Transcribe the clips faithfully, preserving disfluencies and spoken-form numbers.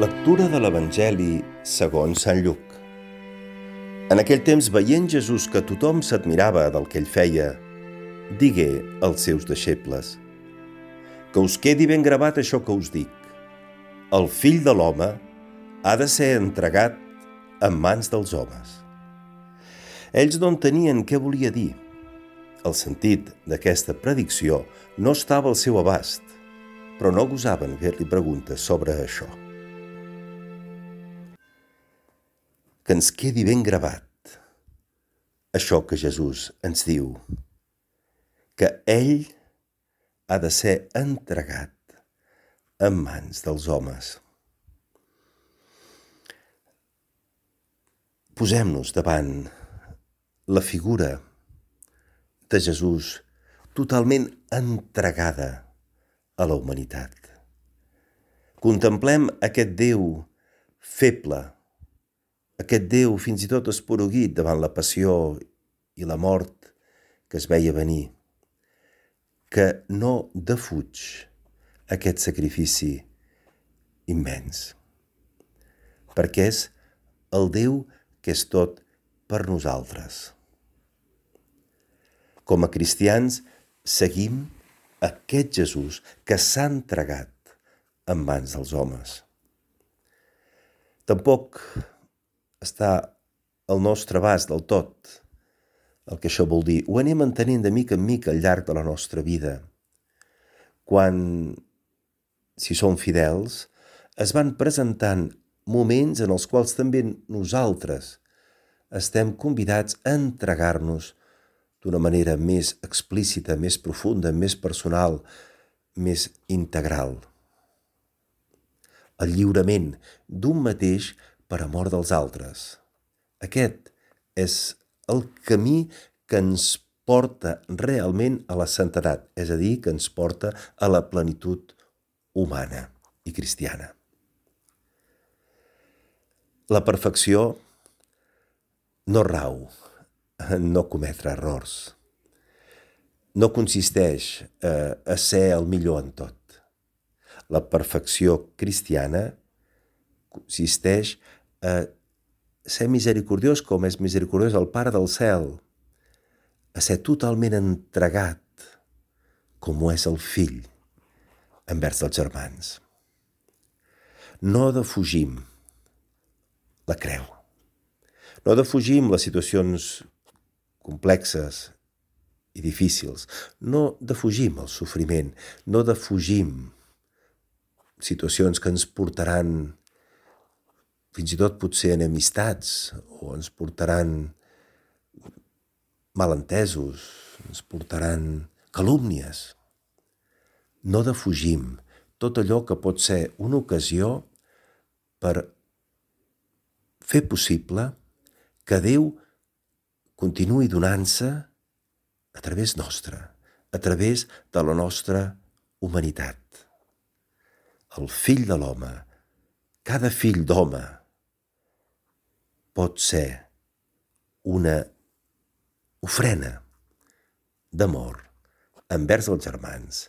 Lectura de l'Evangeli segons Sant Lluc. En aquell temps, veient Jesús que tothom s'admirava del que ell feia, digué als seus deixebles: que us quedi ben gravat això que us dic. El Fill de l'Home ha de ser entregat en mans dels homes. Ells no entenien què volia dir. El sentit d'aquesta predicció no estava al seu abast, però no gosaven fer-li preguntes sobre això. Que ens quedi ben gravat això que Jesús ens diu, que ell ha de ser entregat en mans dels homes. Posem-nos davant la figura de Jesús totalment entregada a la humanitat. Contemplem aquest Déu feble, aquest Déu fins i tot esporuguit davant la passió i la mort que es veia venir, que no defuig aquest sacrifici immens, perquè és el Déu que és tot per nosaltres. Com a cristians, seguim aquest Jesús que s'ha entregat en mans dels homes. Tampoc està al nostre abast del tot el que això vol dir. Ho anem entenent de mica en mica al llarg de la nostra vida. Quan, si som fidels, es van presentant moments en els quals també nosaltres estem convidats a entregar-nos d'una manera més explícita, més profunda, més personal, més integral. El lliurament d'un mateix per amor dels altres. Aquest és el camí que ens porta realment a la santedat, és a dir, que ens porta a la plenitud humana i cristiana. La perfecció no rau en no cometre errors. No consisteix eh, a ser el millor en tot. La perfecció cristiana consisteix a ser misericordiós com és misericordiós el Pare del cel, a ser totalment entregat com ho és el Fill envers els germans. No defugim la creu. No defugim les situacions complexes i difícils. No defugim el sofriment. No defugim situacions que ens portaran fins i tot potser enemistats o ens portaran malentesos, ens portaran calúmnies. No defugim tot allò que pot ser una ocasió per fer possible que Déu continuï donant-se a través nostra, a través de la nostra humanitat. El Fill de l'Home, cada fill d'home, pot ser una ofrena d'amor envers els germans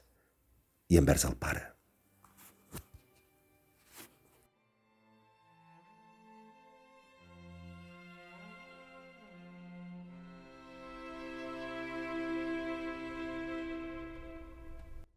i envers el Pare.